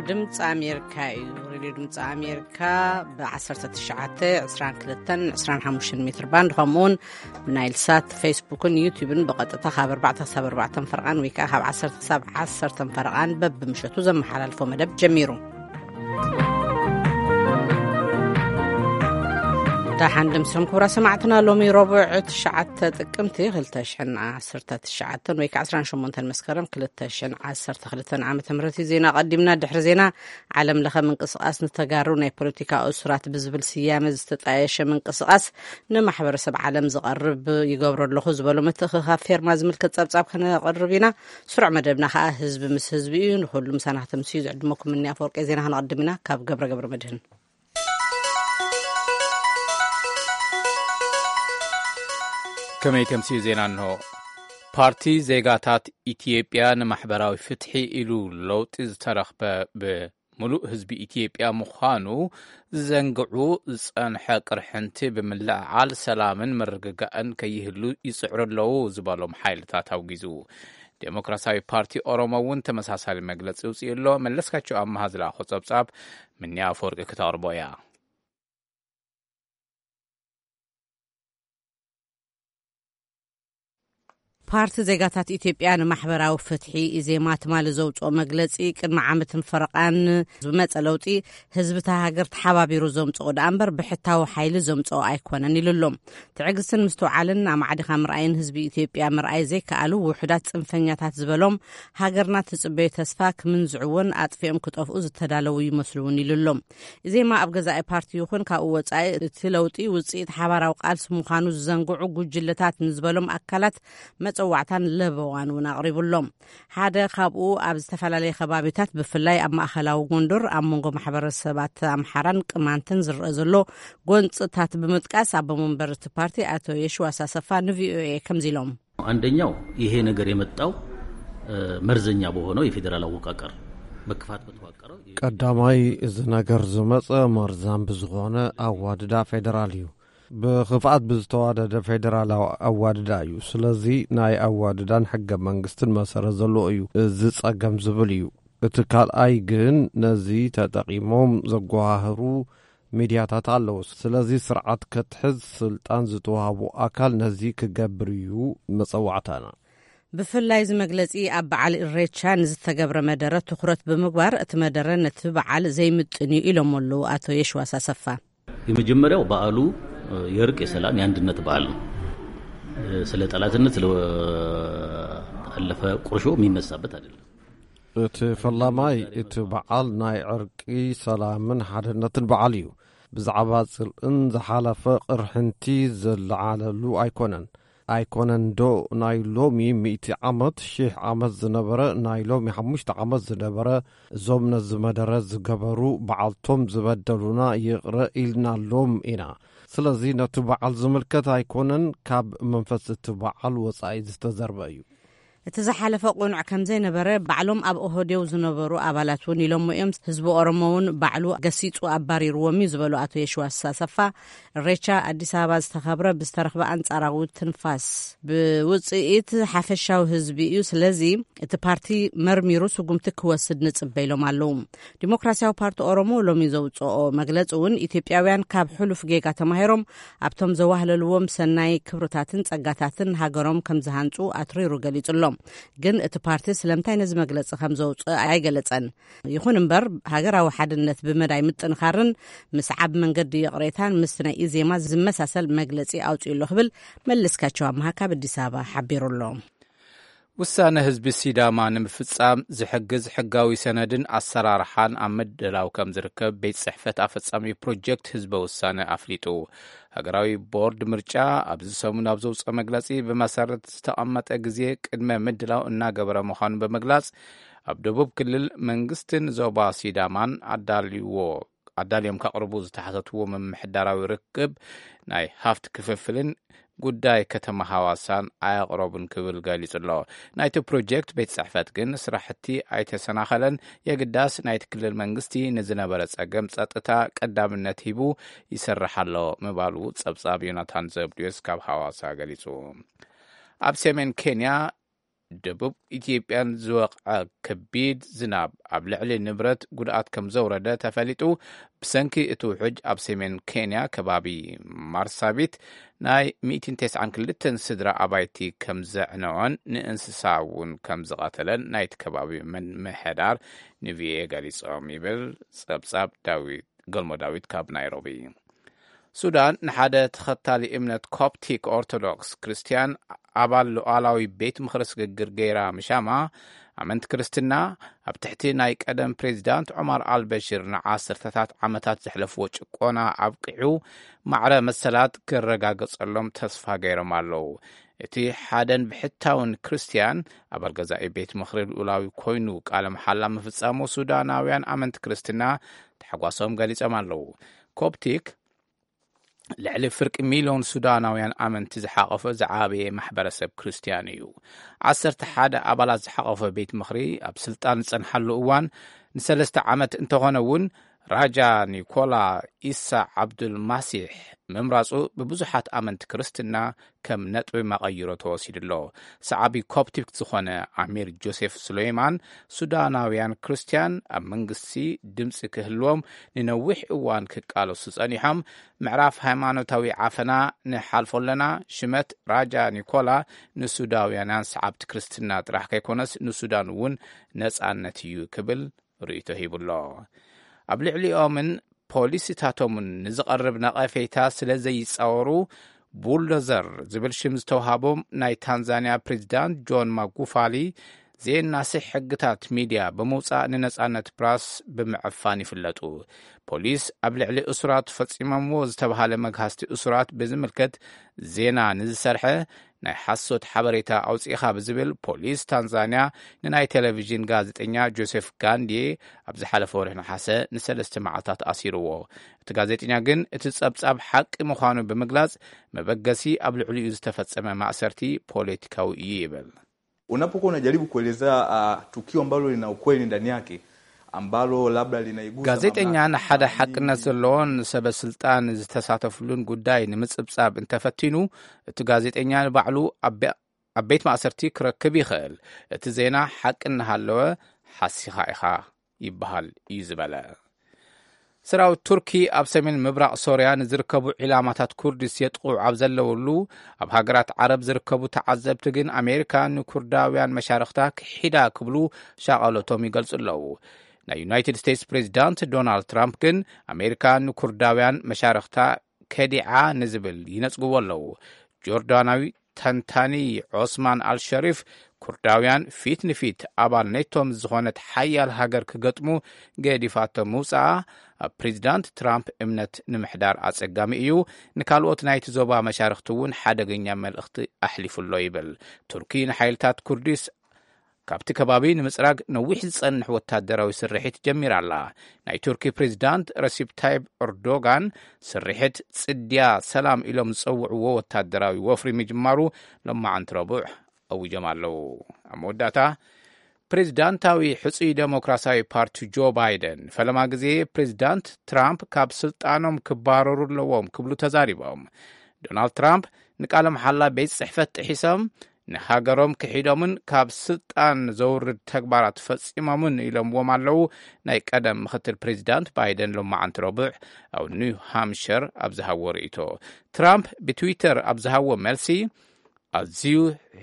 ድምፂ ኣሜሪካ እዩ። ሬድዮ ድምፂ ኣሜሪካ ብ1922 25 ሜትር ባንድ፣ ከምኡውን ብናይል ሳት፣ ፌስቡክን ዩቲዩብን ብቐጥታ ካብ ኣርባዕተ ክሳብ ኣርባዕተ ፈረቓን ወይ ከዓ ካብ ዓሰርተ ክሳብ ዓሰርተ ፈረቓን በብምሸቱ ዘመሓላልፎ መደብ ጀሚሩ። ደሓን ድምስኹም ክቡራ ሰማዕትና። ሎሚ ረቡዕ ትሽዓተ ጥቅምቲ ክልተ ሽሕን ዓሰርተ ትሽዓተን ወይ ከዓ ዓሰርተ ሸሞንተ መስከረም ክልተ ሽሕን ዓሰርተ ክልተን ዓመተ ምህረት እዩ። ዜና ቀዲምና፣ ድሕሪ ዜና ዓለም ለኸ ምንቅስቃስ ንተጋሩ ናይ ፖለቲካ እሱራት ብዝብል ስያመ ዝተጣየሸ ምንቅስቃስ ንማሕበረሰብ ዓለም ዝቐርብ ይገብሮ ኣለኹ ዝበሎ ምትእኽኻብ ፌርማ ዝምልከት ጸብጻብ ከነቕርብ ኢና። ስሩዕ መደብና ከዓ ህዝቢ ምስ ህዝቢ እዩ። ንኹሉ ምሳና ከተምስዩ ዝዕድመኩም እኒ ኣፈወርቂ። ዜና ከነቐድም ኢና ካብ ገብረ ገብረ መድህን። ከመይ ተምስዩ ዜና እንሆ። ፓርቲ ዜጋታት ኢትዮጵያ ንማሕበራዊ ፍትሒ ኢሉ ለውጢ ዝተረኽበ ብምሉእ ህዝቢ ኢትዮጵያ ምዃኑ ዝዘንግዑ ዝጸንሐ ቅርሕንቲ ብምልዕዓል ሰላምን ምርግጋእን ከይህሉ ይጽዕሩ ኣለዉ ዝበሎም ሓይልታት ኣውጊዙ። ዴሞክራሲያዊ ፓርቲ ኦሮሞ እውን ተመሳሳሊ መግለጺ ውጽኡ ኣሎ። መለስካቸው ኣመሃ ዝለኣኾ ጸብጻብ ምንያ ኣፈወርቂ ክተቕርቦ እያ። ፓርቲ ዜጋታት ኢትዮጵያ ንማሕበራዊ ፍትሒ፣ ኢዜማ፣ ትማሊ ዘውፅኦ መግለፂ፣ ቅድሚ ዓመትን ፈረቓን ዝመፀ ለውጢ ህዝቢ እታ ሃገር ተሓባቢሩ ዘምፅኦ ደኣ እምበር ብሕታዊ ሓይሊ ዘምፅኦ ኣይኮነን ኢሉ ኣሎ። ትዕግስትን ምስትውዓልን ኣማዕዲኻ ምርኣይን ህዝቢ ኢትዮጵያ ምርኣይ ዘይከኣሉ ውሑዳት ፅንፈኛታት ዝበሎም ሃገርና ትፅበዮ ተስፋ ክምንዝዕዎን ኣጥፊኦም ክጠፍኡ ዝተዳለዉ ይመስሉ እውን ኢሉ ኣሎ። ኢዜማ ኣብ ገዛኢ ፓርቲ ይኹን ካብኡ ወፃኢ እቲ ለውጢ ውፅኢት ሓባራዊ ቃልሲ ምዃኑ ዝዘንግዑ ጉጅለታት ንዝበሎም ኣካላት መፀዋዕታን ለበዋን እውን ኣቕሪቡ ኣሎ። ሓደ ካብኡ ኣብ ዝተፈላለየ ከባቢታት ብፍላይ ኣብ ማእኸላዊ ጎንደር ኣብ መንጎ ማሕበረሰባት ኣምሓራን ቅማንትን ዝረአ ዘሎ ጎንፅታት ብምጥቃስ ኣቦ መንበር እቲ ፓርቲ ኣቶ የሽዋስ ኣሰፋ ንቪኦኤ ከምዚ ኢሎም። አንደኛው ይሄ ነገር የመጣው መርዘኛ በሆነው የፌዴራል አወቃቀር መክፋት በተዋቀረው ቀዳማይ እዚ ነገር ዝመጸ መርዛም ብዝኾነ ኣዋድዳ ፌደራል እዩ። ብኽፍኣት ብዝተዋደደ ፌደራላዊ ኣዋድዳ እዩ። ስለዚ ናይ ኣዋድዳን ሕገ መንግስትን መሰረት ዘለዎ እዩ እዚ ጸገም ዝብል እዩ። እቲ ካልኣይ ግን ነዚ ተጠቒሞም ዘጓሃህሩ ሚድያታት ኣለዉ። ስለዚ ስርዓት ከትሕዝ ስልጣን ዝተዋህቦ ኣካል ነዚ ክገብር እዩ መጸዋዕታና። ብፍላይ እዚ መግለጺ ኣብ በዓል ኢሬቻ ንዝተገብረ መደረ ትኹረት ብምግባር እቲ መደረ ነቲ በዓል ዘይምጥን እዩ ኢሎም ኣለዉ ኣቶ የሽዋስ ኣሰፋ። የመጀመሪያው በዓሉ የእርቅ፣ የሰላም፣ የአንድነት በዓል ነው። ስለ ጠላትነት፣ ስለ አለፈ ቁርሾ የሚነሳበት አይደለም። እቲ ፈላማይ እቲ በዓል ናይ ዕርቂ፣ ሰላምን ሓድነትን በዓል እዩ። ብዛዕባ ጽልእን ዝሓለፈ ቅርሕንቲ ዝለዓለሉ ኣይኮነን። ኣይኮነን ዶ ናይ ሎሚ ሚእቲ ዓመት፣ ሺሕ ዓመት ዝነበረ፣ ናይ ሎሚ ሓሙሽተ ዓመት ዝነበረ፣ እዞም ነዚ መደረ ዝገበሩ በዓልቶም ዝበደሉና ይቕረ ኢልናሎም ኢና። ስለዚ ነቲ በዓል ዝምልከት ኣይኮነን፣ ካብ መንፈስ እቲ በዓል ወጻኢ ዝተዘርበ እዩ። እቲ ዝሓለፈ ቅኑዕ ከም ዘይነበረ ባዕሎም ኣብ ኦህዴው ዝነበሩ ኣባላት እውን ኢሎሞ እዮም። ህዝቢ ኦሮሞ እውን ባዕሉ ገሲጹ ኣባሪርዎም እዩ ዝበሉ ኣቶ የሽዋስ ኣሰፋ፣ እሬቻ ኣዲስ ኣበባ ዝተኸብረ ብዝተረኽበ ኣንጻራዊ ትንፋስ ብውጽኢት ሓፈሻዊ ህዝቢ እዩ። ስለዚ እቲ ፓርቲ መርሚሩ ስጉምቲ ክወስድ ንጽበ ኢሎም ኣለዉ። ዲሞክራሲያዊ ፓርቲ ኦሮሞ ሎሚ ዘውጽኦ መግለጺ እውን ኢትዮጵያውያን ካብ ሕሉፍ ጌጋ ተማሂሮም ኣብቶም ዘዋህለልዎም ሰናይ ክብርታትን ጸጋታትን ሃገሮም ከም ዝሃንጹ ኣትሪሩ ገሊጹ ኣሎ። ግን እቲ ፓርቲ ስለምንታይ ነዚ መግለጺ ከም ዘውጽእ ኣይገለጸን። ይኹን እምበር ሃገራዊ ሓድነት ብመዳይ ምጥንኻርን ምስዓብ መንገዲ ይቕሬታን ምስቲ ናይ ኢዜማ ዝመሳሰል መግለጺ ኣውጺኡ ኣሎ ክብል መለስካቸው ኣምሃ ካብ ኣዲስ ኣበባ ሓቢሩ ኣሎ። ውሳነ ህዝቢ ሲዳማ ንምፍጻም ዝሕግዝ ሕጋዊ ሰነድን ኣሰራርሓን ኣብ ምድላው ከም ዝርከብ ቤት ጽሕፈት ኣፈጻሚ ፕሮጀክት ህዝበ ውሳነ ኣፍሊጡ። ሃገራዊ ቦርድ ምርጫ ኣብዚ ሰሙን ኣብ ዘውፅኦ መግለፂ ብመሰረት ዝተቐመጠ ግዜ ቅድመ ምድላው እናገበረ ምዃኑ ብምግላፅ ኣብ ደቡብ ክልል መንግስትን ዞባ ሲዳማን ኣዳልዎ ኣዳልዮም ከቕርቡ ዝተሓተትዎ ምምሕዳራዊ ርክብ ናይ ሃፍት ክፍፍልን ጉዳይ ከተማ ሃዋሳን ኣየቕረቡን ክብል ገሊጹ ኣሎ። ናይቲ ፕሮጀክት ቤት ጽሕፈት ግን ስራሕቲ ኣይተሰናኸለን፣ የግዳስ ናይቲ ክልል መንግስቲ ንዝነበረ ጸገም ጸጥታ ቀዳምነት ሂቡ ይሰርሕ ኣሎ ምባሉ ጸብጻብ ዮናታን ዘብድዮስ ካብ ሃዋሳ ገሊጹ። ኣብ ሰሜን ኬንያ ደቡብ ኢትዮጵያን ዝወቕዐ ከቢድ ዝናብ ኣብ ልዕሊ ንብረት ጉድኣት ከም ዘውረደ ተፈሊጡ። ብሰንኪ እቲ ውሕጅ ኣብ ሰሜን ኬንያ ከባቢ ማርሳቢት ናይ ሚእትን ተስዓን ክልተን ስድራ ኣባይቲ ከም ዘዕነወን ንእንስሳ እውን ከም ዝቐተለን ናይቲ ከባቢ ምምሕዳር ንቪኦኤ ገሊጾም ይብል ጸብጻብ ዳዊት፣ ገልሞ ዳዊት ካብ ናይሮቢ። ሱዳን ንሓደ ተኸታሊ እምነት ኮፕቲክ ኦርቶዶክስ ክርስትያን ኣባል ሉዓላዊ ቤት ምኽሪ ስግግር ገይራ ምሻማ፣ ኣመንቲ ክርስትና ኣብ ትሕቲ ናይ ቀደም ፕሬዚዳንት ዑማር ኣልበሽር ንዓሰርተታት ዓመታት ዘሕለፍዎ ጭቆና ኣብቂዑ ማዕረ መሰላት ክረጋገጸሎም ተስፋ ገይሮም ኣለዉ። እቲ ሓደን ብሕታውን ክርስትያን ኣባል ገዛኢ ቤት ምኽሪ ልኡላዊ ኮይኑ ቃለ መሓላ ምፍጻሙ ሱዳናውያን ኣመንቲ ክርስትና ታሕጓሶም ገሊጾም ኣለዉ። ኮፕቲክ ልዕሊ ፍርቂ ሚልዮን ሱዳናውያን ኣመንቲ ዝሓቐፈ ዝዓበየ ማሕበረሰብ ክርስትያን እዩ። ዓሰርተ ሓደ ኣባላት ዝሓቐፈ ቤት ምኽሪ ኣብ ስልጣን ዝጸንሓሉ እዋን ንሰለስተ ዓመት እንተኾነ እውን ራጃ ኒኮላ ኢሳ ዓብዱል ማሲሕ ምምራጹ ብብዙሓት ኣመንቲ ክርስትና ከም ነጥቢ መቐይሮ ተወሲዱ ኣሎ። ሰዓቢ ኮፕቲክ ዝኾነ ኣሚር ጆሴፍ ሱሌይማን ሱዳናውያን ክርስትያን ኣብ መንግስቲ ድምፂ ክህልዎም ንነዊሕ እዋን ክቃለሱ ጸኒሖም፣ ምዕራፍ ሃይማኖታዊ ዓፈና ንሓልፎ ኣለና፣ ሽመት ራጃ ኒኮላ ንሱዳውያናን ሰዓብቲ ክርስትና ጥራሕ ከይኮነስ ንሱዳን እውን ነጻነት እዩ ክብል ርእይቶ ሂቡሎ። ኣብ ልዕሊኦምን ፖሊሲታቶምን ንዝቐርብ ነቐፌታ ስለ ዘይጻወሩ፣ ቡልዶዘር ዝብል ሽም ዝተውሃቦም ናይ ታንዛንያ ፕሬዚዳንት ጆን ማጉፋሊ ዘየናስሕ ሕግታት ሚድያ ብምውጻእ ንነጻነት ፕራስ ብምዕፋን ይፍለጡ። ፖሊስ ኣብ ልዕሊ እሱራት ፈጺሞምዎ ዝተባሃለ መግሃስቲ እሱራት ብዝምልከት ዜና ንዝሰርሐ ናይ ሓሶት ሓበሬታ ኣውጺእኻ ብዝብል ፖሊስ ታንዛንያ ንናይ ቴሌቪዥን ጋዜጠኛ ጆሴፍ ጋንዲ ኣብ ዝሓለፈ ወርሒ ነሓሰ ንሰለስተ መዓልታት ኣሲርዎ። እቲ ጋዜጠኛ ግን እቲ ጸብጻብ ሓቂ ምዃኑ ብምግላጽ መበገሲ ኣብ ልዕሊኡ ዝተፈጸመ ማእሰርቲ ፖለቲካዊ እዩ ይብል። Unapokuwa unajaribu kuelezea uh, tukio ambalo lina ukweli ndani yake ambalo labda linaigusa ጋዜጠኛ ንሓደ ሓቅነት ዘለዎን ሰበ ስልጣን ዝተሳተፍሉን ጉዳይ ንምጽብጻብ እንተፈቲኑ እቲ ጋዜጠኛ ንባዕሉ ኣብ ቤት ማእሰርቲ ክረክብ ይኽእል። እቲ ዜና ሓቂ እናሃለወ ሓሲኻ ኢኻ ይበሃል እዩ ዝበለ። ሰራዊት ቱርኪ ኣብ ሰሜን ምብራቕ ሶርያ ንዝርከቡ ዒላማታት ኩርድስ የጥቕዑ ኣብ ዘለውሉ ኣብ ሃገራት ዓረብ ዝርከቡ ተዓዘብቲ ግን ኣሜሪካ ንኩርዳውያን መሻርኽታ ክሒዳ ክብሉ ሻቐሎቶም ይገልጹ ኣለዉ። ናይ ዩናይትድ ስቴትስ ፕሬዚዳንት ዶናልድ ትራምፕ ግን ኣሜሪካ ንኩርዳውያን መሻርኽታ ከዲዓ ንዝብል ይነጽግዎ ኣለዉ። ጆርዳናዊ ተንታኒ ዖስማን ኣልሸሪፍ ኩርዳውያን ፊት ንፊት ኣባል ኔቶም ዝኾነት ሓያል ሃገር ክገጥሙ ገዲፋቶም ምውፅኣ ኣብ ፕሬዚዳንት ትራምፕ እምነት ንምሕዳር ኣፀጋሚ እዩ፣ ንካልኦት ናይቲ ዞባ መሻርክቲ እውን ሓደገኛ መልእኽቲ ኣሕሊፉ ኣሎ ይብል። ቱርኪ ንሓይልታት ኩርዲስ ካብቲ ከባቢ ንምጽራግ ነዊሕ ዝጸንሕ ወታደራዊ ስርሒት ጀሚራ ኣላ። ናይ ቱርኪ ፕሬዚዳንት ረሲፕ ታይብ ኤርዶጋን ስርሒት ጽድያ ሰላም ኢሎም ዝጸውዕዎ ወታደራዊ ወፍሪ ምጅማሩ ሎማዓንቲ ረቡዕ ኣዊጆም ኣለዉ። ኣብ መወዳእታ ፕሬዚዳንታዊ ሕጹይ ዴሞክራሲያዊ ፓርቲ ጆ ባይደን ፈለማ ግዜ ፕሬዚዳንት ትራምፕ ካብ ስልጣኖም ክባረሩ ኣለዎም ክብሉ ተዛሪቦም። ዶናልድ ትራምፕ ንቃለ መሓላ ቤት ጽሕፈት ጥሒሶም ንሃገሮም ክሒዶምን ካብ ስልጣን ዘውርድ ተግባራት ፈጺሞምን ኢሎምዎም ኣለዉ ናይ ቀደም ምክትል ፕሬዚዳንት ባይደን ሎማዓንቲ ረቡዕ ኣብ ኒው ሃምሸር ኣብ ዝሃቦ ርእይቶ። ትራምፕ ብትዊተር ኣብ ዝሃቦ መልሲ ኣዝዩ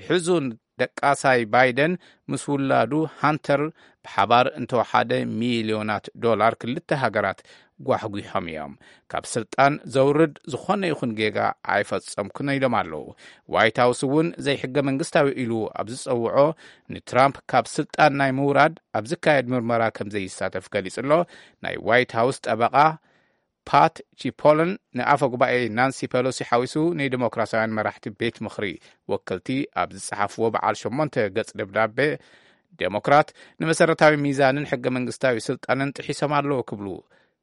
ሕዙን ደቃሳይ ባይደን ምስ ውላዱ ሃንተር ብሓባር እንተወሓደ ሚልዮናት ዶላር ክልተ ሃገራት ጓሕጒሖም እዮም። ካብ ስልጣን ዘውርድ ዝኾነ ይኹን ጌጋ ኣይፈጸምኩን ኢሎም ኣለዉ። ዋይት ሃውስ እውን ዘይሕገ መንግስታዊ ኢሉ ኣብ ዝጸውዖ ንትራምፕ ካብ ስልጣን ናይ ምውራድ ኣብ ዝካየድ ምርመራ ከም ዘይሳተፍ ገሊጹ ኣሎ። ናይ ዋይት ሃውስ ጠበቓ ፓት ቺፖልን ንኣፈ ጉባኤ ናንሲ ፔሎሲ ሓዊሱ ንዲሞክራሲያውያን መራሕቲ ቤት ምኽሪ ወከልቲ ኣብ ዝጸሓፍዎ በዓል ሸሞንተ ገጽ ደብዳቤ ዴሞክራት ንመሰረታዊ ሚዛንን ሕገ መንግስታዊ ስልጣንን ጥሒሶም ኣለዉ ክብሉ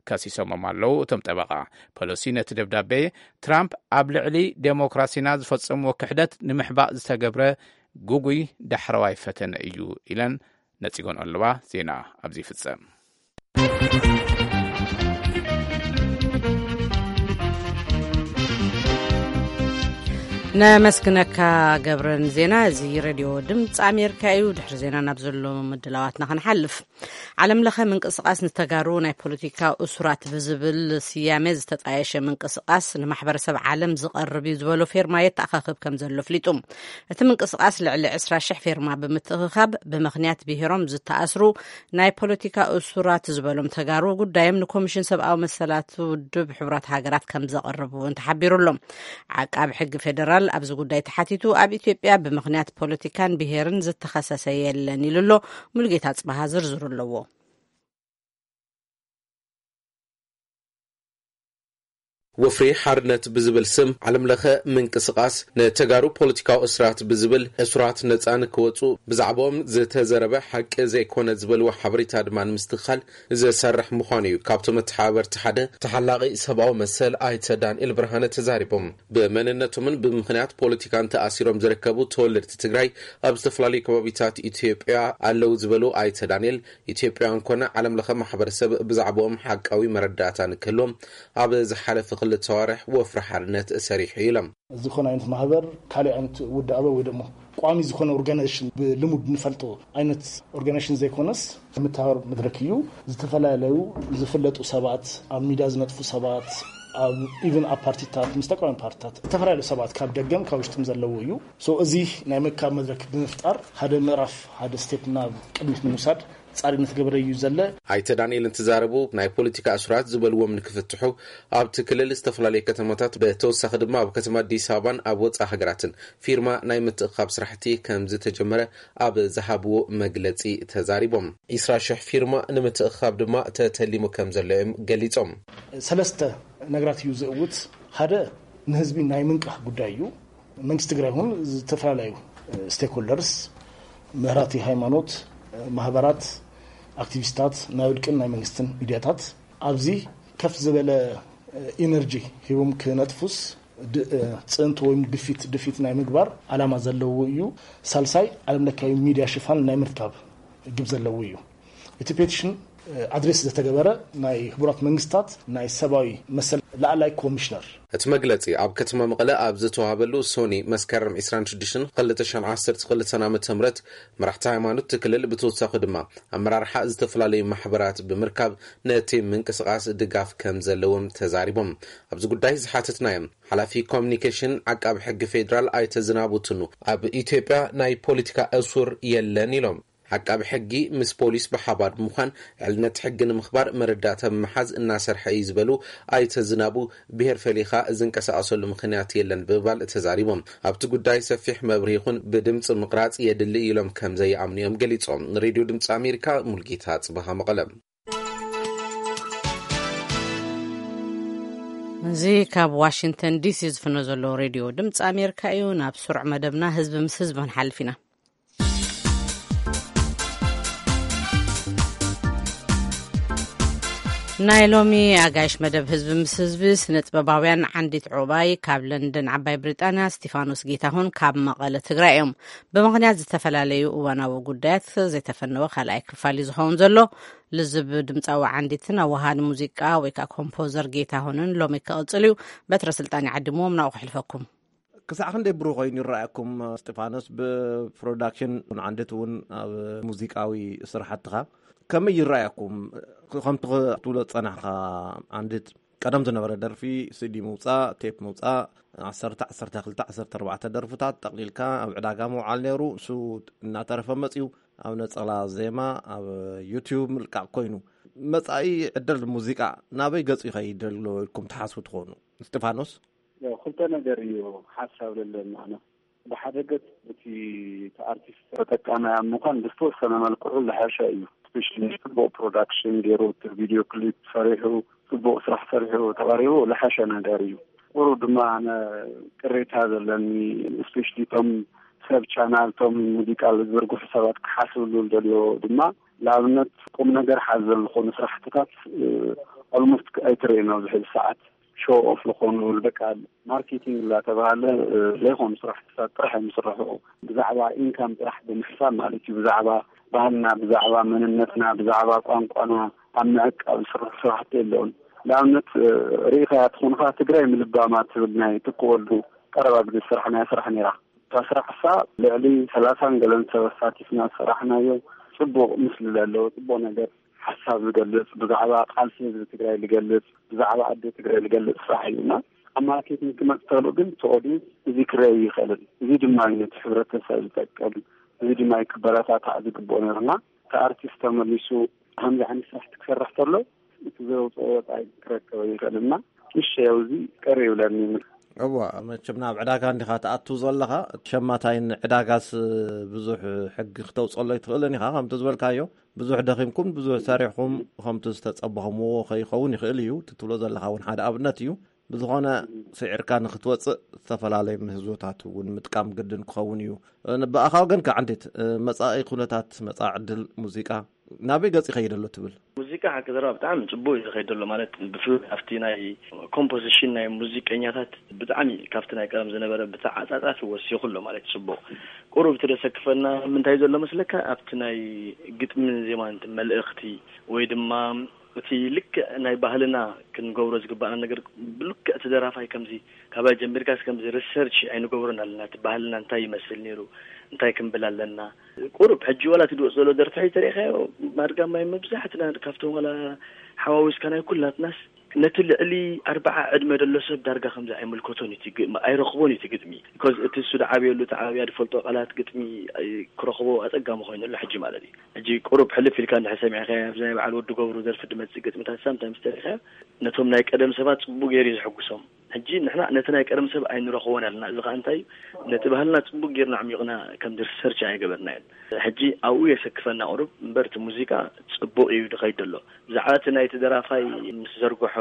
ከሲሶሞም ኣለዉ። እቶም ጠበቓ ፔሎሲ ነቲ ደብዳቤ ትራምፕ ኣብ ልዕሊ ዴሞክራሲና ዝፈጸምዎ ክሕደት ንምሕባእ ዝተገብረ ግጉይ ዳሕረዋይ ፈተነ እዩ ኢለን ነጺጎን ኣለዋ። ዜና ኣብዚ ይፍጸም። ነመስግነካ ገብረን ዜና። እዚ ሬድዮ ድምፂ ኣሜሪካ እዩ። ድሕሪ ዜና ናብ ዘሎ ምድላዋትና ክንሓልፍ። ዓለም ለኸ ምንቅስቃስ ንተጋሩ ናይ ፖለቲካ እሱራት ብዝብል ስያሜ ዝተጣየሸ ምንቅስቃስ ንማሕበረሰብ ዓለም ዝቐርብ እዩ ዝበሎ ፌርማ የተኣኻኽብ ከም ዘሎ ኣፍሊጡ። እቲ ምንቅስቃስ ልዕሊ ዕስራ ሽሕ ፌርማ ብምትእኽኻብ ብምኽንያት ብሄሮም ዝተኣስሩ ናይ ፖለቲካ እሱራት ዝበሎም ተጋሩ ጉዳዮም ንኮሚሽን ሰብኣዊ መሰላት ውድብ ሕቡራት ሃገራት ከም ዘቐርብ እውን ተሓቢሩ ኣሎ። ዓቃቢ ሕጊ ፌደራል ኣብዚ ጉዳይ ተሓቲቱ ኣብ ኢትዮጵያ ብምኽንያት ፖለቲካን ብሄርን ዝተኸሰሰ የለን ኢሉ ኣሎ። ሙሉጌታ ጽባሃ ዝርዝሩ ኣለዎ። ወፍሪ ሓርነት ብዝብል ስም ዓለም ለኸ ምንቅስቃስ ንተጋሩ ፖለቲካዊ እስራት ብዝብል እሱራት ነፃ ንክወፁ ብዛዕባኦም ዝተዘረበ ሓቂ ዘይኮነ ዝበልዎ ሓበሬታ ድማ ንምስትኽኻል ዝሰርሕ ምዃኑ እዩ ካብቶም መተሓባበርቲ ሓደ ተሓላቒ ሰብኣዊ መሰል ኣይተ ዳንኤል ብርሃነ ተዛሪቦም። ብመንነቶምን ብምኽንያት ፖለቲካን ተኣሲሮም ዝርከቡ ተወለድቲ ትግራይ ኣብ ዝተፈላለዩ ከባቢታት ኢትዮጵያ ኣለዉ ዝበሉ ኣይተ ዳንኤል፣ ኢትዮጵያውያን ኮነ ዓለም ለኸ ማሕበረሰብ ብዛዕባኦም ሓቃዊ መረዳእታ ንክህልዎም ኣብ ዝሓለፈ ክልተ ኣዋርሕ ወፍሪ ሓርነት ሰሪሑ ኢሎም። ዝኾነ ዓይነት ማህበር፣ ካልእ ዓይነት ውዳበ ወይ ደሞ ቋሚ ዝኾነ ኦርጋናይዜሽን ብልሙድ ንፈልጦ ዓይነት ኦርጋናይዜሽን ዘይኮነስ፣ ምትሃር መድረክ እዩ። ዝተፈላለዩ ዝፍለጡ ሰባት፣ ኣብ ሚድያ ዝነጥፉ ሰባት፣ ኣብ ኢቭን ኣብ ፓርቲታት፣ ምስ ተቃዋሚ ፓርቲታት፣ ዝተፈላለዩ ሰባት ካብ ደገም ካብ ውሽጥም ዘለዉ እዩ። ሶ እዚ ናይ ምክካብ መድረክ ብምፍጣር ሓደ ምዕራፍ፣ ሓደ ስቴፕ ናብ ቅድሚት ንምውሳድ ጻሪ እናተገበረ እዩ ዘለ። ኣይተ ዳንኤል እንትዛረቡ ናይ ፖለቲካ እሱራት ዝበልዎም ንክፍትሑ ኣብቲ ክልል ዝተፈላለዩ ከተማታት ብተወሳኺ ድማ ኣብ ከተማ ኣዲስ ኣበባን ኣብ ወፃኢ ሃገራትን ፊርማ ናይ ምትእኻብ ስራሕቲ ከም ዝተጀመረ ኣብ ዝሃብዎ መግለፂ ተዛሪቦም። ዕስራ ሽሕ ፊርማ ንምትእኻብ ድማ ተተሊሙ ከም ዘሎ እዮም ገሊፆም። ሰለስተ ነገራት እዩ ዝእውት። ሓደ ንህዝቢ ናይ ምንቃሕ ጉዳይ እዩ። መንግስቲ ትግራይ ይኹን ዝተፈላለዩ ስቴክሆልደርስ፣ መራሕቲ ሃይማኖት፣ ማህበራት፣ ኣክቲቪስታት፣ ናይ ውልቅን ናይ መንግስትን ሚድያታት ኣብዚ ከፍ ዝበለ ኢነርጂ ሂቦም ክነጥፉስ ድ-፣ ጽዕንቶ ወይም ግፊት፣ ድፊት ናይ ምግባር ዓላማ ዘለዎ እዩ። ሳልሳይ ዓለም ለካዊ ሚድያ ሽፋን ናይ ምርካብ ግብ ዘለዎ እዩ። እቲ ፔቲሽን ኣድሬስ ዝተገበረ ናይ ሕቡራት መንግስታት ናይ ሰብኣዊ መሰል ላዕላይ ኮሚሽነር። እቲ መግለጺ ኣብ ከተማ መቐለ ኣብ ዝተዋሃበሉ ሶኒ መስከረም ዕስራን ሽዱሽተን ክልተ ሽሕን ዓሰርተ ክልተን ዓመተ ምህረት መራሕቲ ሃይማኖት እቲ ክልል ብተወሳኺ ድማ ኣመራርሓ ዝተፈላለዩ ማሕበራት ብምርካብ ነቲ ምንቅስቓስ ድጋፍ ከም ዘለዎም ተዛሪቦም። ኣብዚ ጉዳይ ዝሓተትናዮም ሓላፊ ኮሚኒኬሽን ዓቃቢ ሕጊ ፌዴራል ኣይተ ዝናቡ ቱኑ ኣብ ኢትዮጵያ ናይ ፖለቲካ እሱር የለን ኢሎም። ዓቃቢ ሕጊ ምስ ፖሊስ ብሓባር ብምዃን ዕልነት ሕጊ ንምኽባር መረዳእታ ብምሓዝ እናሰርሐ እዩ ዝበሉ ኣይተ ዝናቡ፣ ብሄር ፈሊኻ ዝንቀሳቐሰሉ ምኽንያት የለን ብምባል ተዛሪቦም። ኣብቲ ጉዳይ ሰፊሕ መብርሂ ይኹን ብድምፂ ምቕራፅ የድሊ ኢሎም ከም ዘይኣምኑ እዮም ገሊፆም። ንሬድዮ ድምፂ ኣሜሪካ ሙልጌታ ፅበሃ መቐለ። እዚ ካብ ዋሽንግተን ዲሲ ዝፍኖ ዘሎ ሬድዮ ድምፂ ኣሜሪካ እዩ። ናብ ስሩዕ መደብና ህዝቢ ምስ ህዝቢ ክንሓልፍ ኢና። ናይ ሎሚ ኣጋይሽ መደብ ህዝቢ ምስ ህዝቢ ስነ ጥበባውያን ዓንዲት ዑባይ ካብ ለንደን ዓባይ ብሪጣንያ፣ ስቲፋኖስ ጌታሁን ካብ መቐለ ትግራይ እዮም። ብምኽንያት ዝተፈላለዩ እዋናዊ ጉዳያት ዘይተፈነወ ካልኣይ ክፋል እዩ ዝኸውን ዘሎ። ልዝብ ድምፃዊ ዓንዲትን ኣወሃዲ ሙዚቃ ወይ ከዓ ኮምፖዘር ጌታሁንን ሎሚ ክቕፅል እዩ። በትረ ስልጣን ይዓድምዎም፣ ናብኡ ከሕልፈኩም። ክሳዕ ክንደይ ብሩህ ኮይኑ ይረኣየኩም፣ እስጢፋኖስ፣ ብፕሮዳክሽን ዓንድት እውን ኣብ ሙዚቃዊ ስራሕትኻ ከመይ ይረኣየኩም? ከምቲ ክትብሎ ዝጸናሕካ፣ ዓንድት ቀደም ዝነበረ ደርፊ፣ ሲዲ ምውጻእ፣ ቴፕ ምውጻእ፣ ዓሰርተ፣ ዓሰርተ ክልተ፣ ዓሰርተ ኣርባዕተ ደርፍታት ጠቕሊልካ ኣብ ዕዳጋ ምውዓል ነይሩ። እሱ እናተረፈ መጺኡ ኣብ ነጸላ ዜማ ኣብ ዩትዩብ ምልቃቕ ኮይኑ፣ መጻኢ ዕድል ሙዚቃ ናበይ ገጹ ይኸይድ ኣሎ ኢልኩም ትሓስቡ ትኾኑ? እስጢፋኖስ? ያው ክልተ ነገር እዩ ሓሳብ ለለኒ ኣነ። ብሓደ ገጽ እቲ፣ እቲ ኣርቲስት ተጠቃማይ ኣብ ምዃን ብዝተወሰነ መልክዑ ዝሓሸ እዩ። ስፔሻሊ ጽቡቕ ፕሮዳክሽን ገይሩ፣ እቲ ቪድዮ ክሊፕ ሰሪሑ፣ ጽቡቕ ስራሕ ሰሪሑ ተቐሪቡ ዝሓሸ ነገር እዩ። ቁሩብ ድማ ኣነ ቅሬታ ዘለኒ፣ ስፔሻሊ እቶም ሰብ ቻናል፣ እቶም ሙዚቃ ዝዝርግሑ ሰባት ክሓስብሉ ዝደልዮ ድማ፣ ንኣብነት ቁም ነገር ሓዘል ዝኾኑ ስራሕትታት፣ እ፣ ኦልሞስት ኣይትርእን ኣብዚ ሕዚ ሰዓት። ሾው ኦፍ ዝኾኑ፣ በቃ ማርኬቲንግ እናተባሃለ፣ እ፣ ዘይኮኑ ስራሕትታት ጥራሕ እዮም ዝስርሑ። ብዛዕባ ኢንካም ጥራሕ ብምሕሳብ ማለት እዩ። ብዛዕባ ባህልና፣ ብዛዕባ መንነትና፣ ብዛዕባ ቋንቋና ኣብ ምዕቃብ ዝስርሑ ስራሕቲ የለውን። ንኣብነት፣ እ፣ ርኢኻያ ትኾንኻ ትግራይ ምልባማ ትብል ናይ ትኩ ወልዱ ቀረባ ግዜ ዝሰራሕናያ ስራሕ ነይራ። እታ ስራሕ እሳ ልዕሊ ሰላሳን ገለን ሰብ ኣሳቲፍና ዝሰራሕናዮ ጽቡቕ ምስሊ ዘለዎ፣ ጽቡቕ ነገር፣ ሓሳብ ዝገልጽ፣ ብዛዕባ ቃልሲ ህዝቢ ትግራይ ዝገልጽ፣ ብዛዕባ ኣደ ትግራይ ዝገልጽ ስራሕ እዩ። እና ኣብ ማርኬቲንግ ክመጽእ ተሎ ግን እቲ ኦዲየንስ እዚ ክረይ ይኽእልን፣ እዚ ድማ እዩ ነቲ ሕብረተሰብ ዝጠቅም፣ እዚ ድማ እዩ ክበረታታዕ ዝግብኦ ነይሩና። እቲ ኣርቲስት ተመሊሱ ከምዚ ዓይነት ስራሕቲ ክሰርሕ ተሎ እቲ ዘውፅኦ ወፃኢ ክረከበ ይኽእል። እና ምሽ ያው እዚ ቅር ይብለኒ። እዋ፣ መቸም ናብ ዕዳጋ እንዲኻ ትኣቱ ዘለኻ፣ ሸማታይን ዕዳጋስ ብዙሕ ሕጊ ክተውፅሎ ኣይትኽእልን ኢኻ። ከምቲ ዝበልካዮ፣ ብዙሕ ደኺምኩም፣ ብዙሕ ሰሪሕኩም፣ ከምቲ ዝተፀበኹምዎ ከይኸውን ይኽእል እዩ። እቲ ትብሎ ዘለኻ እውን ሓደ ኣብነት እዩ። ብዝኾነ፣ ስዒርካ ንክትወፅእ ዝተፈላለዩ ምህዞታት እውን ምጥቃም ግድን ክኸውን እዩ። እ፣ ብኣኻ ወገንካ ዓንዲት፣ እ፣ መጻኢ ኩነታት፣ መጻኢ ዕድል ሙዚቃ ናበይ ገጽ ይኸይድ ኣሎ ትብል? ሙዚቃ ሓቂ ዘረባ ብጣዕሚ ጽቡቅ እዩ ዝኸይድ ዘሎ። ማለት ብፍላይ ኣብቲ ናይ ኮምፖዚሽን ናይ ሙዚቀኛታት ብጣዕሚ ካብቲ ናይ ቀደም ዝነበረ ብተዓጻጻፊ ወሲኹ ኣሎ ማለት ጽቡቅ። ቁሩብ እቲ ዘሰክፈና ምንታይ ዘሎ መስለካ? ኣብቲ ናይ ግጥምን ዜማን እቲ መልእኽቲ ወይ ድማ እቲ ልክዕ ናይ ባህልና ክንገብሮ ዝግባኣና ነገር ብልክዕ እቲ ደራፋይ ከምዚ ካባይ ጀሚርካስ ከምዚ ሪሰርች ኣይንገብሮን ኣለና። እቲ ባህልና እንታይ ይመስል ነይሩ? እንታይ ክንብል ኣለና? ቁሩብ ሕጂ ዋላ እቲ ዝወጽእ ዘሎ ደርፊ ተሪኢኻዮ? ማድጋ ማይ መብዛሕትና ካብቶም ዋላ ሓዋዊስካ ናይ ኩላትናስ ነቲ ልዕሊ ኣርብዓ ዕድመ ዘሎ ሰብ ዳርጋ ከምዚ ኣይምልከቶን እዩ፣ እቲ ግጥሚ ኣይረኽቦን እዩ። እቲ ግጥሚ፣ ቢኮዝ እቲ እሱ ዝዓብየሉ፣ እቲ ዓብያ ዝፈልጦ ቃላት ግጥሚ፣ ኣይ፣ ክረኽቦ ኣጸጋሚ ኮይኑ ኣሎ ሕጂ ማለት እዩ። ሕጂ ቁሩብ ሕልፍ ኢልካ እንድሕር ሰሚዕካዮ፣ ኣብዚ ናይ በዓል ወዲ ገብሩ ደርፊ ዝመጽእ ግጥምታት ሳምታይምስ ተሪኢኻዮ፣ ነቶም ናይ ቀደም ሰባት ጽቡቅ ገይሩ እዩ ዝሕጉሶም። ሕጂ ንሕና ነቲ ናይ ቀደም ሰብ ኣይንረኽቦን ኣለና። እዚ ኸኣ እንታይ እዩ? ነቲ ባህልና ጽቡቅ ጌርና ኣዕሚቕና ከምዚ ሪሰርች ኣይገበርናዮን። ሕጂ ኣብኡ የሰክፈና ቁሩብ እምበር፣ እቲ ሙዚቃ ጽቡቅ እዩ ዝኸይድ ዘሎ። ብዛዕባ እቲ ናይቲ ደራፋይ ምስ ዘርግሖ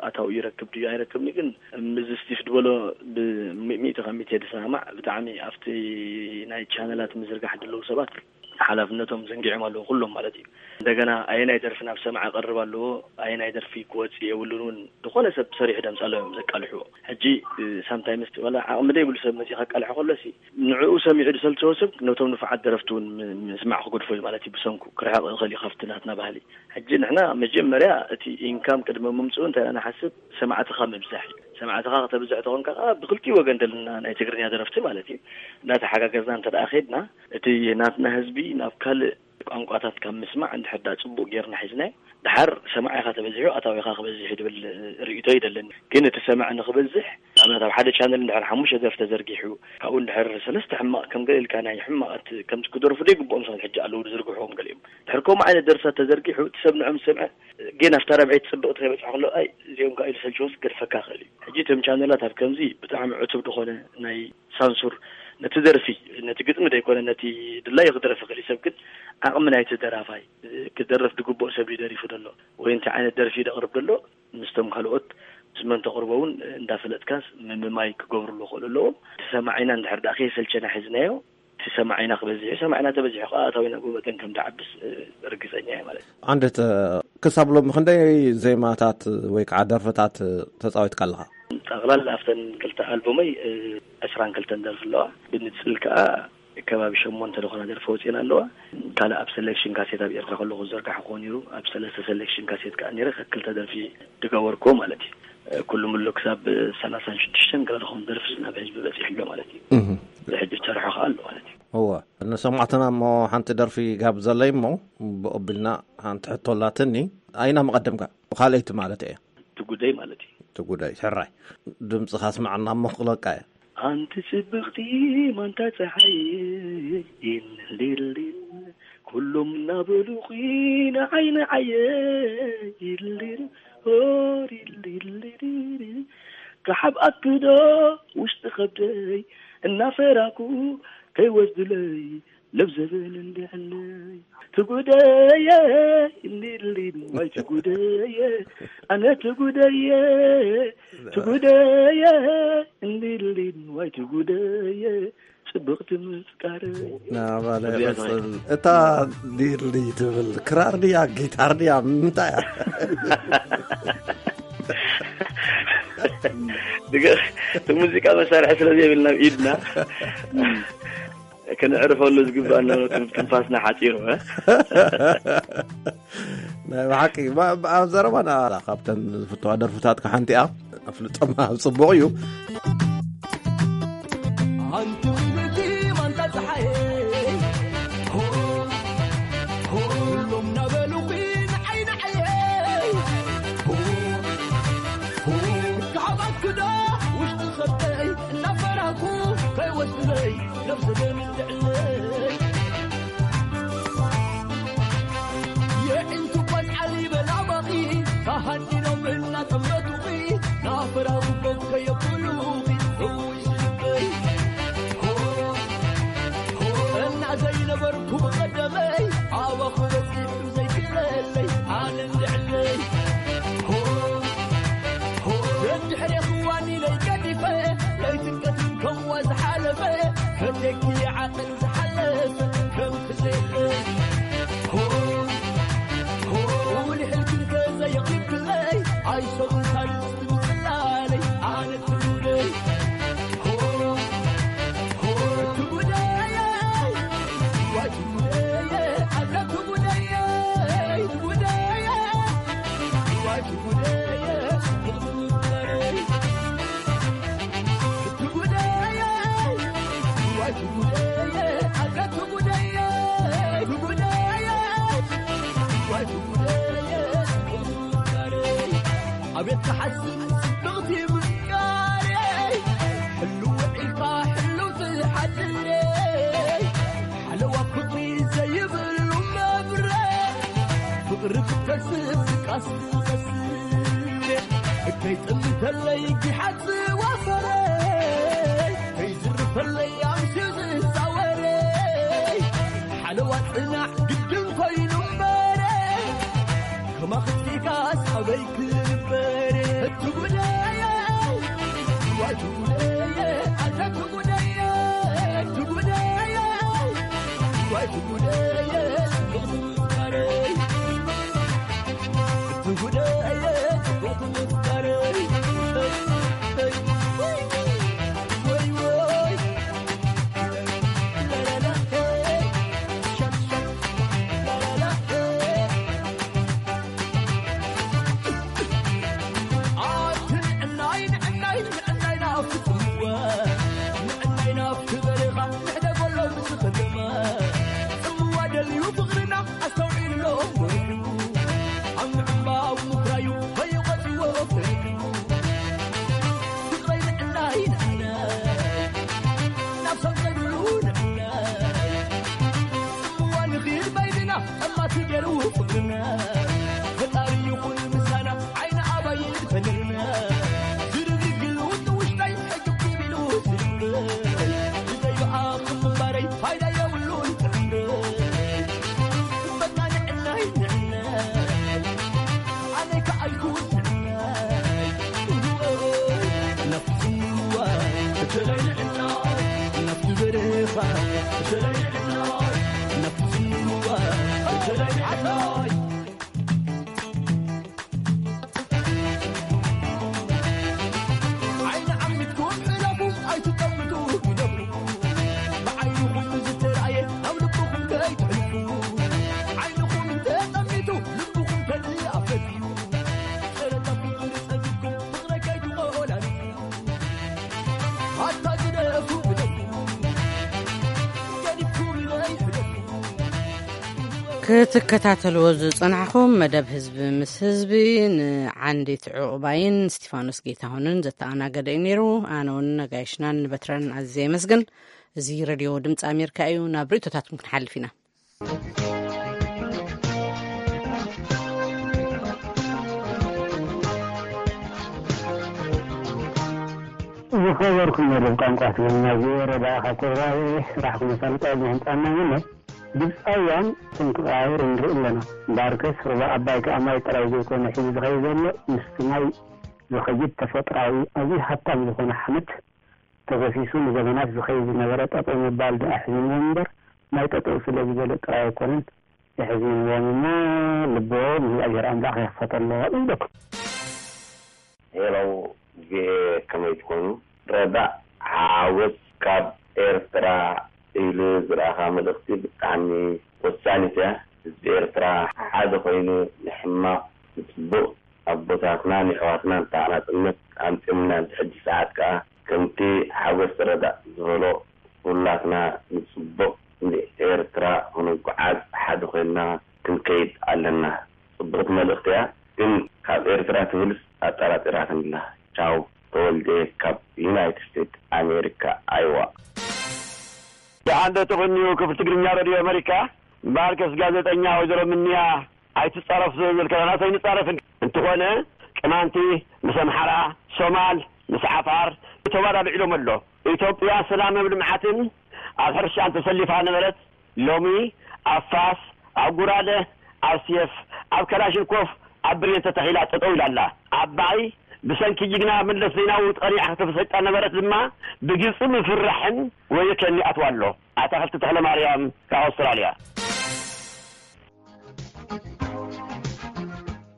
ኣታዊ ይረክብ ድዩ ኣይረክብን ግን፣ ምስዚ ስቲፍ ዝበሎ ብሚእቲ ካብ ሚእቲ የድሰማማዕ። ብጣዕሚ ኣብቲ ናይ ቻነላት ምዝርጋሕ ዘለዉ ሰባት ሓላፍነቶም ዘንጊዖም ኣለዉ፣ ኩሎም ማለት እዩ። እንደገና ኣየናይ ደርፊ ናብ ሰማዒ ቀርብ ኣለዎ፣ ኣየናይ ደርፊ ክወጽእ የብሉን እውን ዝኾነ ሰብ ሰሪሑ ደምጻሎም እዮም ዘቃልሕዎ። ሕጂ፣ እ፣ ሳምታይምስ ዋላ ዓቕሚ ዘይብሉ ሰብ መጺኡ ከቃልሖ ከሎሲ፣ ንዕኡ ሰሚዑ ዝሰልቸዎ ሰብ ነቶም ንፉዓት ደረፍቲ እውን ም-፣ ምስማዕ ክገድፎ እዩ ማለት እዩ። ብሰንኩ ክርሕቕ ይኽእል እዩ ካብቲ ናትና ባህሊ። ሕጂ ንሕና መጀመርያ እቲ ኢንካም ቅድሚ ምምጽኡ እንታይ ኢና ንሓስብ? ሰማዕትኻ ምብዛሕ እዩ። ሰማዕትኻ ከተብዝሕ ተኾንካ ከኣ ብክልቲኡ ወገን ዘለና ናይ ትግርኛ ደረፍቲ ማለት እዩ፣ እናተሓጋገዝና እንተ ደኣ ኸይድና፣ እቲ ናትና ህዝቢ ናብ ካልእ ቋንቋታት ካብ ምስማዕ እንድሕር ደኣ ጽቡቕ ጌርና ሒዝናዮ፣ ደሓር ሰማዒኻ ተበዚሑ ኣታዊኻ ክበዝሕ እዩ ዝብል ርእይቶ ይደለኒ። ግን እቲ ሰማዒ ንኽበዝሕ፣ ንኣብነት ኣብ ሓደ ቻነል እንድሕር ሓሙሽተ ደርፊ ተዘርጊሑ፣ ካብኡ እንድሕር ሰለስተ ሕማቕ ከም ገለ ኢልካ ናይ ሕማቕ እቲ ከምቲ ክደርፉ ዘይግብኦም ሰባት ሕጂ ኣለዉ ዝዝርግሕዎም ገሊኦም። ድሕር ከምኡ ዓይነት ደርፍታት ተዘርጊሑ፣ እቲ ሰብ ንዕኦም ዝሰምዐ፣ ግን ኣብታ ራብዐይቲ ጽብቕቲ ከይበጽሐ ከሎ፣ ኣይ፣ እዚኦም ከኣ ኢሉ ሰልችዎስ ክገድፈካ ይኽእል እዩ። ሕጂ እቶም ቻነላት ኣብ ከምዚ ብጣዕሚ ዕቱብ ዝኾነ ናይ ሳንሱር፣ ነቲ ደርፊ፣ ነቲ ግጥሚ ዘይኮነ፣ ነቲ ድላዩ ክደርፍ ይኽእል እዩ ሰብ፣ ግን ዓቕሚ ናይቲ ደራፋይ፣ ክደርፍ ዝግብኦ ሰብ እዩ ደሪፉ ዘሎ፣ ወይ እንታይ ዓይነት ደርፊ እዩ ደቕርብ ዘሎ፣ ምስቶም ካልኦት ምስ መን ተቕርቦ እውን እንዳፈለጥካስ ምምማይ ክገብርሉ ክኽእሉ ኣለዎም። እቲ ሰማዒና እንድሕር ደኣ ከየሰልቸና ሒዝናዮ፣ እቲ ሰማዒና ክበዝሕ እዩ። ሰማዒና ተበዚሑ ከኣ ኣታዊና ጎበጠን ከም ዝዓብስ፣ እ፣ ርግጸኛ እየ ማለት እዩ። ዓንደት፣ ክሳብ ሎሚ ክንደይ ዜማታት ወይ ከዓ ደርፍታት ተጻዊትካ ኣለኻ? ጠቕላላ ኣብተን ክልተ ኣልቡመይ፣ እ፣ ዕስራን ክልተን ደርፊ ኣለዋ። ብንጽል ከኣ ከባቢ ሸሞንተ ዝኾና ደርፊ ወጺኤን ኣለዋ። ካልእ ኣብ ሰሌክሽን ካሴት ኣብ ኤርትራ ከለኹ ዝዘርጋሕኩዎ ነይሩ። ኣብ ሰለስተ ሰሌክሽን ካሴት ከኣ ነይረ፣ ክልተ ደርፊ ዝገበርኩዎ ማለት እዩ። ኩሉ ምሉ ክሳብ ሰላሳን ሽዱሽተን ገለ ዝኾኑ ደርፊ ናብ ህዝቢ በጺሑ ኣሎ ማለት እዩ። እህ። ሕጂ ዝሰርሖ ከኣ ኣሎ ማለት እዩ። እወ፣ ንሰማዕትና እሞ ሓንቲ ደርፊ ጋብዘለይ እሞ፣ ብቕቢልና ሓንቲ ሕቶ ኣላትኒ። ኣይና መቐደምካ? ብኻልኣይቲ ማለት እየ። ትጉደይ ማለት እዩ። ትጉደይ፣ ሕራይ። ድምፅኻ ስማዕና እሞ ክቕለቃ እየ። ኣንቲ ጽብቕቲ ማንታ ጸሓይ፣ ኢልልልል፣ ኩሎም እናበሉኺ ንዓይ ንዓየ፣ ኢልልል፣ ሆር፣ ኢልልልል፣ ክሓብኣኪ ዶ ውሽጢ ከብደይ፣ እናፈራኩ ከይወስድለይ፣ ለብዘበን እንድዕነይ። ትጉደየ፣ እንዲልሊን፣ ዋይ ትጉደየ፣ ኣነ ትጉደየ፣ ትጉደየ፣ እንዲልሊን፣ ዋይ ትጉደየ፣ ጽብቕቲ ምፍቃረይ። ናባለ እዚኣ ቅጽል። እታ ዲርሊ ትብል ክራር ድያ፣ ጊታር ድያ፣ ምንታይ እያ? ድገ-፣ እቲ ሙዚቃ መሳርሒ ስለ ዘይብልና ኣብ ኢድና፣ እም። ከነዕርፈሉ ዝግባኣና ትንፋስና ሓጺሩ፣ እ? ናይ ብሓቂ፣ ባ-፣ ባ-፣ ኣብ ዘረባና ካብተን ዝፍትዋ ደርፍታትካ ሓንቲ እያ። ኣፍልጦማ ጽቡቕ እዩ። ኣንቲ ምልእቲ ማንታ ጸሓየይ፣ ሆ፣ ሆ፣ ኩሎም ናበሉኺ ንዓይ ንዓየይ፣ ሆ፣ ሆ፣ ክሃባክዶ ውሽጢ ኸብደይ እናፈራኹ ከይወስድለይ ነብሲ ደምትዕለይ። የዒንቱ ቆልዓ ሊበላ ባኺ፣ ተሃዲኖም እናጠመቱኺ፣ ናፈራኹ ኮፍ ከየብሉኺ፣ እውይ ስልበይ። ሆ፣ ሆ፣ እና ዘይነበርኩ ብቐደመይ፣ ኣባኹ በጺሑ ዘይክለለይ፣ ኣነ እንድዕለይ። ሆ፣ ሆ፣ ደድሕሬኺ ዋኒነይ ገዲፈ፣ ለይትን ቀትርን ከምዋ ዝሓለፈ፣ ፈትየኪ ዓቐን ዝሓለፈ ከም ክዘይለ። ሆ፣ ሆ፣ ውልሕልኪ እንተ ዘየቕሪብክለይ፣ ኣይሰኹን ሳልስቲ ምጽላለይ፣ ኣነ ትውደይ። ሆ፣ ሆ፣ ትውደይ፣ ዋይ ትውደይ፣ ኣነ ትውደይ፣ ትውደይ፣ ዋይ ትውደይ፣ ትውደይ። ኣቤት ክሓስብ ጽብቕቲ ምፍቃረይ፣ ሕልው ውዒልካ ሕልው ትሓድረይ፣ ሓለዋ ፍቕሪ ዘይብሉ መብረቕ፣ ፍቕሪ ክትከስብ ድቃስ ትኸስብ፣ ከይጥምተለይ ጊሓት ዝዋፈረይ፣ ከይዝርፈለይ ኣምስዩ ዝዛወረይ፣ ሓለዋ ጽናዕ ግድን ኮይኑ እምበረ፣ ከማኽሲካስ ኣበይ ክበረ። ትጉደየ፣ ዋይ ትጉደየ፣ ኣታ ትጉደየ፣ ትጉደየ፣ ዋይ ትጉደየ፣ ትጉደየ። ኣስተውዒሉ ሎሞ ወሪዱ፣ ኣብ ምዕንባቡ ምፍራዩ፣ በይኑ ቆጺዎ ፈሪዱ። ፍቕረይ ንዕናይ ንዕናይ፣ ናብ ሰብ ዘይብሉ ንዕናይ። ጽምዋ ንኺድ በይንና፣ ጸማቲ ገይሩ ፍቕርና። ፈጣሪ ይኹን ምሳና፣ ዓይኒ ኣባይ ፈለና። ዝርግግሉ ንውሽጠይ ሕግብ ቢሉ ዝብል። ብዘይ ብኣኹም ምንባረይ ፋይዳ የብሉን ጥዕናይ። በቃ ንዕናይ ንዕናይ። ኣነይ ከኣልኩ ንዕናይ። ናብቲ ጽምዋ እተለይ ንዕናይ። ናብቲ በረኻ እተለይ ንዕናይ። ናብቲ ጽምዋ እተለይ ንዕናይ። ዓይኒ ዓሚትኩም ሕለፉ፣ ኣይትጠምቱ ግደፉ። ብዓይንኹም ዝተራእየ ናብ ልብኹም ከይትሕልፉ። ዓይንኹም እንተጠሚቱ፣ ልብኹም ከድኣ ፈትዩ። ጸረታ ፍቕሪ ጸጊብኩም፣ ፍቕረይ ከይትቖላልፉ። ኣታ ግደፉ፣ ግደፉ። ገዲፍኩምለይ ሕለፉ። ክትከታተልዎ ዝጸናሕኹም መደብ ህዝቢ ምስ ህዝቢ ንዓንዲት ዕቑባይን ስቲፋኖስ ጌታሁንን ዘተኣናገደ እዩ ነይሩ። ኣነ እውን ነጋይሽናን ንበትረን ኣዝየ የመስግን። እዚ ሬድዮ ድምፂ ኣሜሪካ እዩ። ናብ ርእይቶታትኩም ክንሓልፍ ኢና። ዝኸበርኩም መደብ ቋንቋ ትግርኛ፣ ቪኦኤ ረዳ ካብ ኮሎራዶ ስራሕኩም ኣሳልጦ ኣብ ምሕንጻና ይምነ። ግብፃውያን እቶም ክቐያየሩ ንርኢ ኣለና። እምበኣርከስ ሩባ ኣባይ ከኣ ማይ ጥራይ ዘይኮነ ሒዙ ዝኸይድ ዘሎ፣ ምስቲ ማይ ዝኸይድ ተፈጥሮኣዊ ኣዝዩ ሃብታም ዝኾነ ሓመድ ተገሲሱ ንዘመናት ዝኸይድ ዝነበረ ጠጠው ምባል ደኣ ኣሕዚንዎም እምበር፣ ማይ ጠጠው ስለ ዝበለ ጥራይ ኣይኮነን የሕዚንዎም እሞ፣ ልቦም እግዚኣብሔር ኣምላኽ ይኽፈተሎም ይብለኩም። ሄሎ ቪኦኤ፣ ከመይ ትኾኑ? ረዳእ ሓጎስ ካብ ኤርትራ ኢሉ ዝረኣኻ መልእኽቲ ብጣዕሚ ወሳኒት እያ። ህዝቢ ኤርትራ ሓደ ኮይኑ ንሕማቕ ንጽቡቕ ኣቦታትናን የሕዋትናን እታ ናጽነት ኣምጺኦምልና ኣብዚ ሕጂ ሰዓት ከኣ ከምቲ ሓጎስ ረዳእ ዝበሎ ኩላትና ንጽቡቕ ንኤርትራ ክንጓዓዝ ሓደ ኮይንና ክንከይድ ኣለና። ጽቡቕቲ መልእኽቲ እያ፣ ግን ካብ ኤርትራ ትብልስ ኣጠራጢራትኒ ኣላ። ቻው፣ ተወልደ ካብ ዩናይትድ ስቴትስ ኣሜሪካ፣ ኣይዋ። ደሓን ዶ ትቕንዩ ክፍሊ ትግርኛ ሬድዮ ኣሜሪካ? እምበኣርከስ ጋዜጠኛ ወይዘሮ ምንያ ኣይትጻረፍ ዝብል ከለና ኣይንጻረፍን። እንተኾነ ቅማንቲ ምስ ኣምሓራ፣ ሶማል ምስ ዓፋር ተወዳዲዕሎም ኣሎ። ኢትዮጵያ ሰላምን ልምዓትን ኣብ ሕርሻን ተሰሊፋ ነበረት። ሎሚ ኣብ ፋስ፣ ኣብ ጉራደ፣ ኣብ ሴፍ፣ ኣብ ከላሽንኮፍ፣ ኣብ ብሬን ተተኺላ ጠጠው ኢላ ኣላ። ዓባይ ብሰንኪ ጅግና መለስ ዜናዊ ጠሪዓ ከተበሳጭጣ ነበረት ድማ ብግብጺ ምፍርራሕን ወዮ ከኒ ኣትዋ ኣሎ። ኣታኽልቲ ተኽለ ማርያም ካብ ኣውስትራልያ።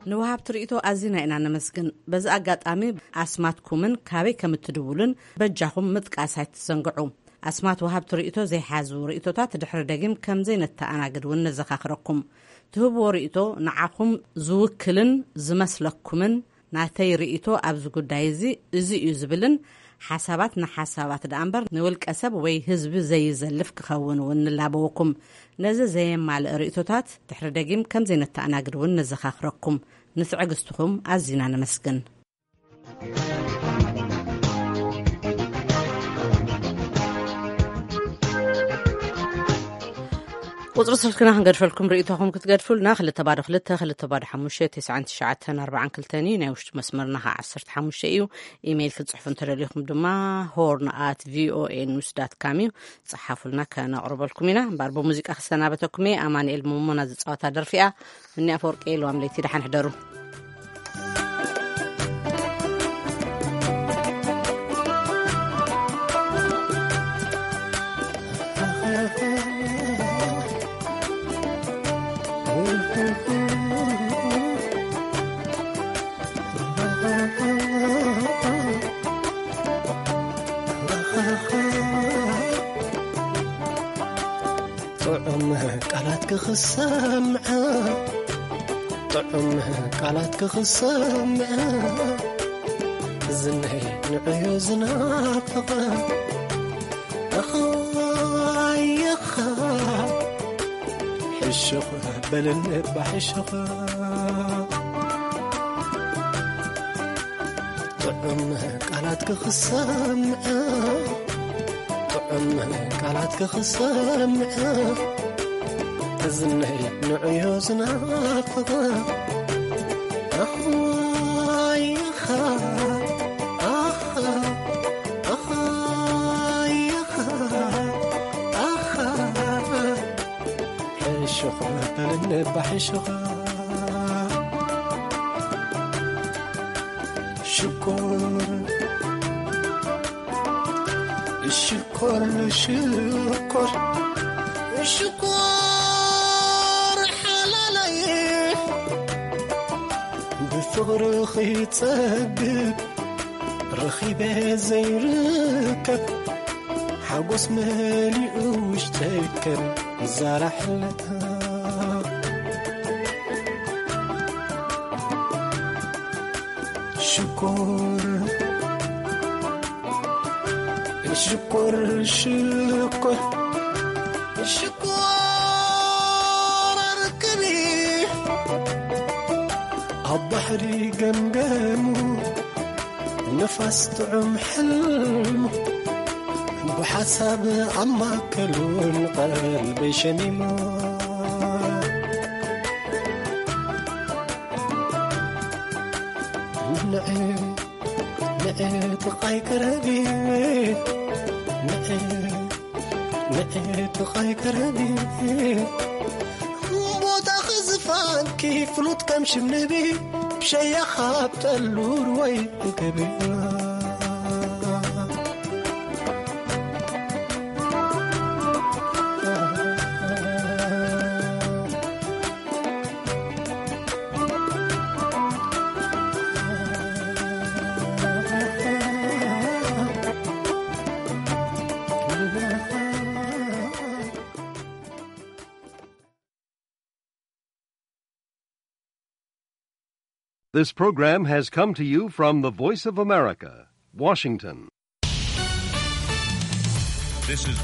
ንወሃብቲ ርእይቶ ኣዚና ኢና ነመስግን። በዚ ኣጋጣሚ ኣስማትኩምን ካበይ ከም እትድውሉን በጃኹም ምጥቃስ ኣይትዘንግዑ። ኣስማት ወሃብቲ ርእይቶ ዘይሓዙ ርእይቶታት ድሕሪ ደጊም ከም ዘይነተኣናግድ እውን ነዘኻኽረኩም። ትህብዎ ርእይቶ ንዓኹም ዝውክልን ዝመስለኩምን ናተይ ርእይቶ ኣብዚ ጉዳይ እዚ እዚ እዩ ዝብልን ሓሳባት ንሓሳባት ደኣ እምበር ንውልቀ ሰብ ወይ ህዝቢ ዘይዘልፍ ክኸውን እውን ንላበወኩም። ነዚ ዘየማልእ ርእይቶታት ድሕሪ ደጊም ከም ዘይነተኣናግድ እውን ነዘኻኽረኩም። ንትዕግስትኹም ኣዚና ነመስግን። ቁጽሪ ስልክና ክንገድፈልኩም ርእይቶኹም ክትገድፉልና፣ ክልተ ባዶ ክልተ፣ ክልተ ባዶ ሓሙሽተ፣ ተስዓን ትሽዓተን ኣርባዓን ክልተን እዩ። ናይ ውሽጢ መስመርና ኸዓ ዓሰርተ ሓሙሽተ እዩ። ኢሜይል ክትጽሕፉ እንተደሊኹም ድማ ሆርን ኣት ቪኦኤ ኒውስ ዳት ካም እዩ። ጸሓፉልና፣ ከነቕርበልኩም ኢና። እምበኣር ብሙዚቃ ክሰናበተኩም እየ። ኣማኑኤል መሞና ዝጻወታ ደርፊ እያ። እኒ ኣፈወርቂ የልዋም ለይቲ፣ ደሓን ሕደሩ። ጥዑም ቃላት ክኽሰምዐ፣ ጥዑም ቃላት ክኽሰምዐ፣ ዝነይ ንዕዮ ዝናፍቐ፣ ኣኻይኻ ሕሹኽ በልኒ እባ ሕሹኽ። ጥዑም ቃላት ክኽሰምዐ፣ ጥዑም ቃላት ክኽሰምዐ፣ እዝነይ ንዕዮ ዝናፍቐ። ኣኽዋይኻ፣ ኣኻ፣ ኣኽዋይኻ፣ ኣኻ። ሕሹኽ በልኒ እባ ሕሹኽ። ሽኮር፣ ሽኮር፣ ሽኮር፣ ሽኮር ሓላለይ፣ ብፍቕርኺ ጸግብ ረኺበ ዘይርከብ፣ ሓጎስ መሊኡ ውሽጠይ ከም ዛራ ሕለታ። ሽኮር፣ ሽኮር፣ ሽኮር፣ ሽኮር ኣርክቢ ኣብ ባሕሪ ገምገሙ፣ ንፋስ ጥዑም ሕልሙ ብሓሳብ ኣማከሉ፣ ንቐልበይ ሸሚሙ። ንዒ፣ ንዒ ጥቓይ ቅረቢ፣ ንዒ፣ ንዒ ጥቓይ ቅረቢ። ቦታኺ ዝፋንኪ ፍሉጥ ከም ሽም ንቢ፣ ብሸያኻ ኣብ ጠሉር ወይ እከቢ። This program has come to you from the Voice of America, Washington. This is